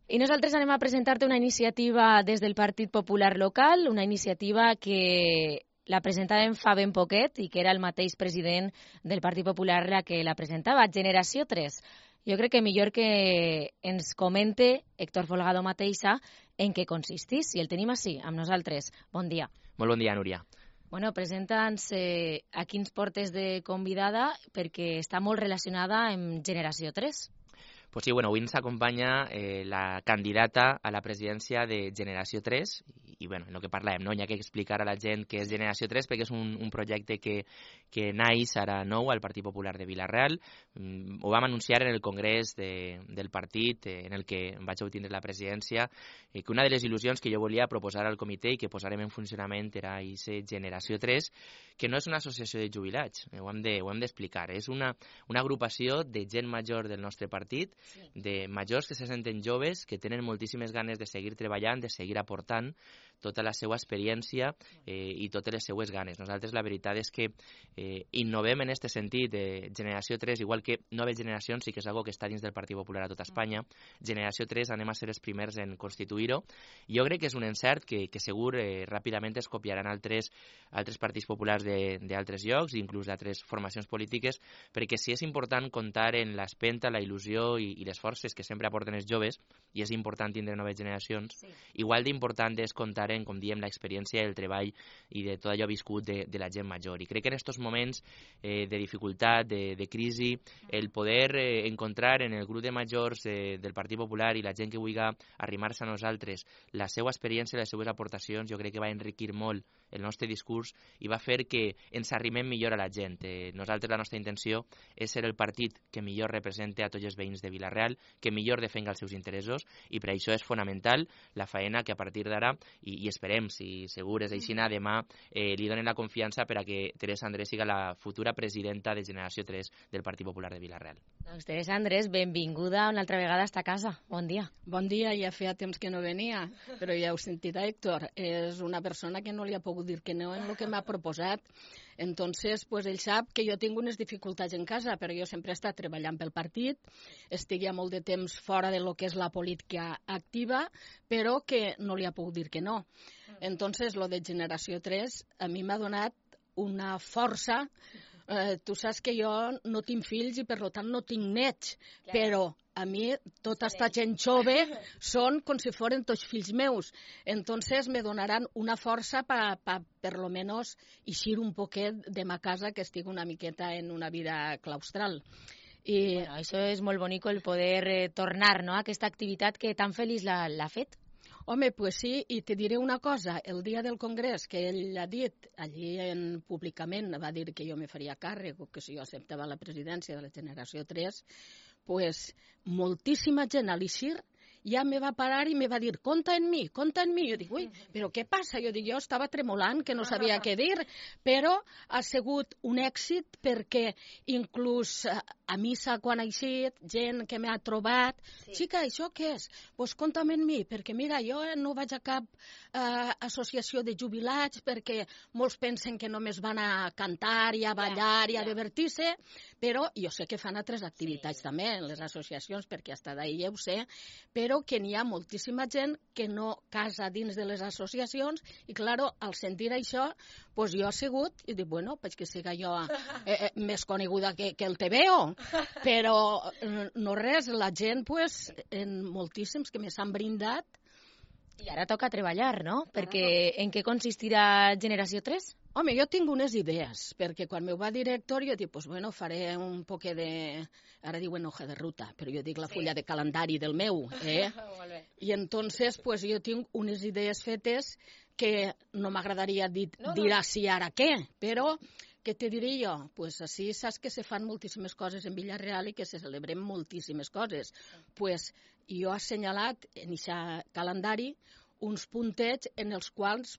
I nosaltres anem a presentar-te una iniciativa des del Partit Popular local, una iniciativa que la presentàvem fa ben poquet i que era el mateix president del Partit Popular la que la presentava, Generació 3. Jo crec que millor que ens comente Héctor Folgado mateixa en què consistís. I el tenim així, amb nosaltres. Bon dia. Molt bon dia, Núria. Bueno, presenta'ns a qui ens portes de convidada perquè està molt relacionada amb Generació 3. Pues sí, bueno, avui ens acompanya la candidata a la presidència de Generació 3 i bueno, el que parlem, no? Hi ha que explicar a la gent què és Generació 3 perquè és un projecte que naix ara nou al Partit Popular de Vila-real. Ho vam anunciar en el congrés del partit en el que vaig obtenir la presidència, que una de les il·lusions que jo volia proposar al comitè i que posarem en funcionament era aquesta Generació 3, que no és una associació de jubilats, ho hem d'explicar, és una agrupació de gent major del nostre partit, de majors que se senten joves, que tenen moltíssimes ganes de seguir treballant, de seguir aportant tota la seva experiència i totes les seues ganes. Nosaltres la veritat és que innovem en aquest sentit de Generació 3, igual que Noves Generacions, sí que és algo que està dins del Partit Popular a tota Espanya. Generació 3 anem a ser els primers en constituir-ho. Jo crec que és un encert que segur ràpidament es copiaran altres partits populars d'altres llocs, inclús d'altres formacions polítiques, perquè sí és important comptar en l'espenta, la il·lusió i les forces que sempre aporten els joves, i és important tindre noves generacions. Sí. Igual d'important és comptar en, com diem, l'experiència, el treball i de tot allò viscut de la gent major. I crec que en aquests moments de dificultat, de crisi, el poder encontrar en el grup de majors del Partit Popular i la gent que vulgui arrimar-se a nosaltres la seva experiència i les seues aportacions, jo crec que va enriquir molt el nostre discurs i va fer que ens arrimem millor a la gent. Nosaltres la nostra intenció és ser el partit que millor represente a tots els veïns de Vila-real, que millor defenga els seus interessos, i per això és fonamental la faena que a partir d'ara, i esperem, si segur és així, demà li donen la confiança per a que Teresa Andrés siga la futura presidenta de Generació 3 del Partit Popular de Vila-real. Doncs Teresa Andrés, benvinguda una altra vegada a esta casa. Bon dia. Bon dia, ja feia temps que no venia, però ja heu sentit a Héctor. És una persona que no li ha pogut dir que no en el que m'ha proposat. Entonces, pues ell sap que jo tinc unes dificultats en casa, però jo sempre he estat treballant pel partit, estic ja molt de temps fora de lo que és la política activa, però que no li ha pogut dir que no. Entonces, lo de Generació 3 a mi m'ha donat una força. Tu saps que jo no tinc fills i per tant no tinc nets, però a mi tota esta gent jove són com si foren tots fills meus. Entonces me donaran una força per lo menos eixir un poquet de ma casa, que estic una miqueta en una vida claustral. I bueno, això és molt bonic, el poder tornar, no?, a aquesta activitat que tan feliç l'ha fet. Home, pues sí, i te diré una cosa, el dia del congrés que ell ha dit, allí públicament va dir que jo me faria càrrec o que si jo acceptava la presidència de la Generació 3, pues moltíssima gent a l'Ixir ja me va parar i me va dir, compta en mi. Jo dic, ui, però què passa? Jo dic, jo estava tremolant, que no sabia què dir, però ha sigut un èxit perquè inclús a missa quan ha eixit, gent que m'ha trobat, xica, això què és? Doncs compta'm en mi, perquè mira, jo no vaig a cap associació de jubilats perquè molts pensen que només van a cantar i a ballar i a divertir-se, però jo sé que fan altres activitats també en les associacions, perquè hasta d'ahir ja ho sé, però que n'hi ha moltíssima gent que no casa dins de les associacions i, claro, al sentir això, pues jo he sigut i dic, bueno, pues que siga jo més coneguda que el TVO, però no res, la gent, pues, en moltíssims que me s'han brindat. I ara toca treballar, no? Perquè en què consistirà Generació 3? Home, jo tinc unes idees, perquè quan m'ho va dir Héctor jo dic, pues bueno, faré un poc de... Ara diuen hoja de ruta, però jo dic la fulla de calendari del meu, I entonces, pues jo tinc unes idees fetes que no m'agradaria dir així ara què, però què te diré jo? Pues així saps que se fan moltíssimes coses en Vila-real i que se celebrem moltíssimes coses. Pues jo he assenyalat en aquest calendari uns puntets en els quals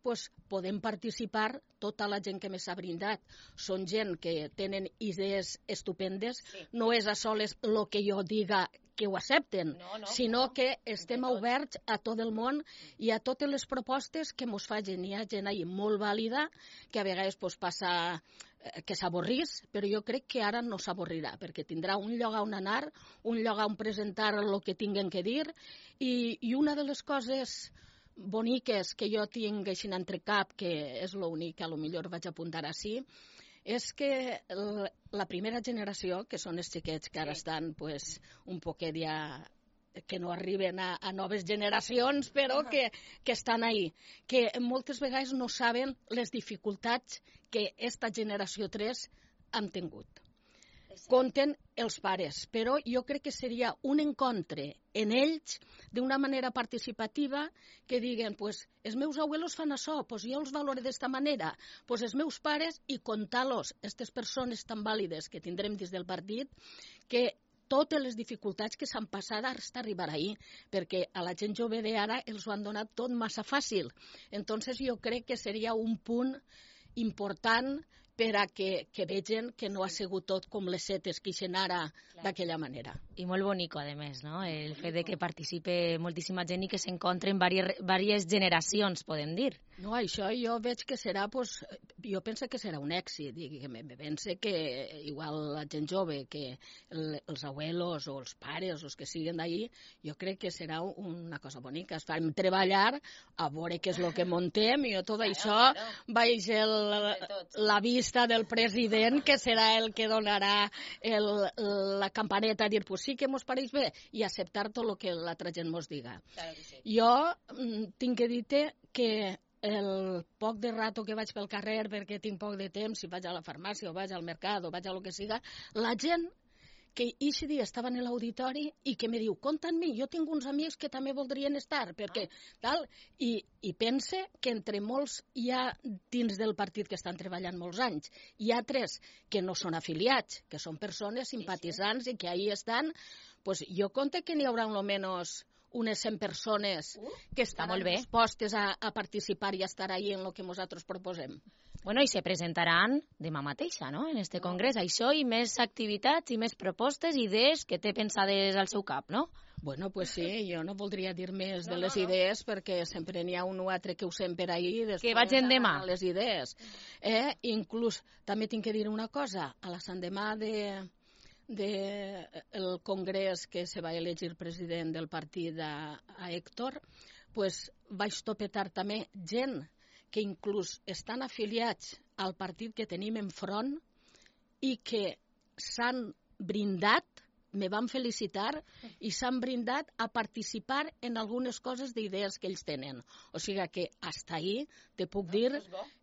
podem participar tota la gent que m'ha brindat. Són gent que tenen idees estupendes, no és a soles el que jo diga ho accepten, sinó que estem oberts a tot el món i a totes les propostes que mos facin. Hi ha gent ahí molt vàlida que a vegades passa que s'avorrís, però jo crec que ara no s'avorrirà, perquè tindrà un lloc on anar, un lloc on presentar el que tinguen que dir, i una de les coses boniques que jo tinc així entre cap, que és l'únic que potser vaig apuntar així, és que la primera generació, que són els xiquets que ara estan un poquet ja que no arriben a noves generacions, però que estan ahí, que moltes vegades no saben les dificultats que esta generació 3 han tingut. Compten els pares, però jo crec que seria un encontre en ells d'una manera participativa que diguen, els meus abuelos fan això, jo els valoro d'esta manera, els meus pares, i contar-los, aquestes persones tan vàlides que tindrem dins del partit, que totes les dificultats que s'han passat hasta arribar ahir, perquè a la gent jove d'ara els ho han donat tot massa fàcil. Entonces jo crec que seria un punt important per a que vegin que no ha sigut tot com les setes que ixen ara d'aquella manera. I molt bonico, a més, no? El fet de que participe moltíssima gent i que s'encontren diverses generacions, podem dir. No, això jo veig que serà, jo penso que serà un èxit, i penso que igual la gent jove, que els abuelos o els pares, els que siguen d'ahir, jo crec que serà una cosa bonica. Es farem treballar, a veure què és el que montem, i tot això vaig la vista del president, que serà el que donarà la campaneta a dir, sí que mos pareix bé, i acceptar tot el que l'altra gent mos diga. Jo tinc que dir-te que el poc de rato que vaig pel carrer, perquè tinc poc de temps, si vaig a la farmàcia o vaig al mercat o vaig a lo que siga, la gent que aquest dia estava en l'auditori i que me diu, compta amb mi, jo tinc uns amics que també voldrien estar, perquè tal, i pense que entre molts hi ha dins del partit que estan treballant molts anys, hi ha 3 que no són afiliats, que són persones simpatitzants i que ahí estan, jo compte que n'hi haurà almenys unes 100 persones que estaran dispostes a participar i a estar ahí en el que nosaltres proposem. Bueno, i se presentaran demà mateixa, no?, en este congrés. Això i més activitats i més propostes, idees que té pensades al seu cap, no? Bueno, sí, jo no voldria dir més de les idees, perquè sempre n'hi ha un o altre que ho sent per ahir. Que vagin demà. Les idees. Inclús, també tinc que dir una cosa, a la s'endemà del congrés que se va elegir president del partit a Héctor, vaig topetar també gent que inclús estan afiliats al partit que tenim enfront i que s'han brindat, me van felicitar i s'han brindat a participar en algunes coses d'idees que ells tenen. O sigui que fins ahir te puc dir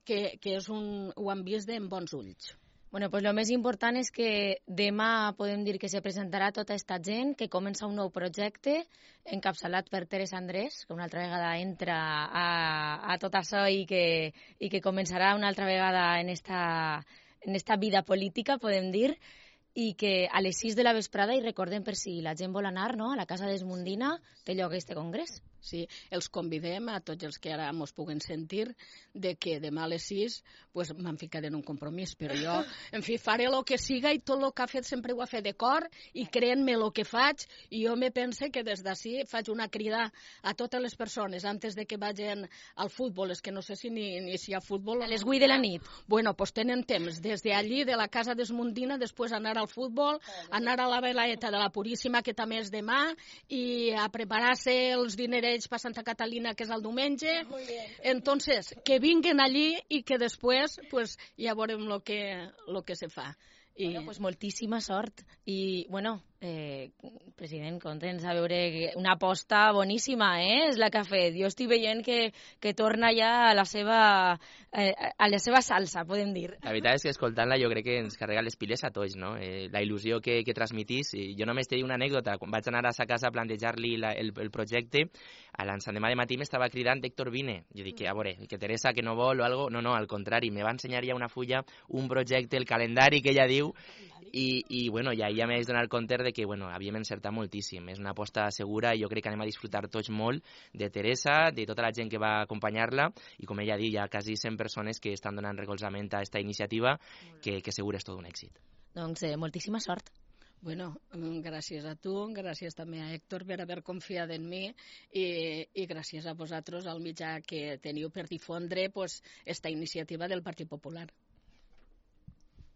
que ho han vist amb bons ulls. Bueno, pues lo més important és que demà podem dir que se presentarà tota aquesta gent, que comença un nou projecte encapçalat per Teresa Andrés, que una altra vegada entra a tot això i que començarà una altra vegada en esta vida política, podem dir, i que a les 6 de la vesprada, i recordem per si la gent vol anar, no?, a la Casa d'Esmundina, té lloc este congrés. Sí, els convidem a tots els que ara ens puguen sentir de que demà a les 6 m'han ficat en un compromís, però jo, en fi, faré el que siga i tot el que ha fet sempre ho ha fet de cor i creent-me el que faig, i jo me pense que des d'ací faig una crida a totes les persones antes de que vagin al futbol, és que no sé si ni si hi ha futbol. A les 8 de la nit. Bueno, tenen temps, des d'allí, de la Casa d'Esmundina, després anar al futbol, anar a la Velaeta de la Puríssima, que també és demà, i a preparar-se els dinerets per Santa Catalina, que és el diumenge. Entonces, que vinguen allí i que després ja veurem lo que se fa. Bueno, moltíssima sort. I, bueno, president, contents a veure una aposta boníssima, és la que ha fet. Jo estic veient que torna ja a la seva salsa, podem dir. La veritat és que escoltant-la jo crec que ens carrega les piles a tots, no? La il·lusió que transmitís. Jo només t'he dit una anècdota. Quan vaig anar a sa casa a plantejar-li el projecte, a l'endemà de matí m'estava cridant Héctor Vine. Jo dic, a veure, que Teresa que no vol o algo. No, al contrari, me va ensenyar ja una fulla, un projecte, el calendari que ella diu, i bueno, ja m'he de donar compte de que havíem encertat moltíssim. És una aposta segura i jo crec que anem a disfrutar tots molt de Teresa, de tota la gent que va acompanyar-la, i com ella ha dit, hi ha quasi 100 persones que estan donant recolzament a aquesta iniciativa, que segur és tot un èxit. Doncs moltíssima sort. Bueno, gràcies a tu, gràcies també a Héctor per haver confiat en mi i gràcies a vosaltres, al mitjà que teniu per difondre esta iniciativa del Partit Popular.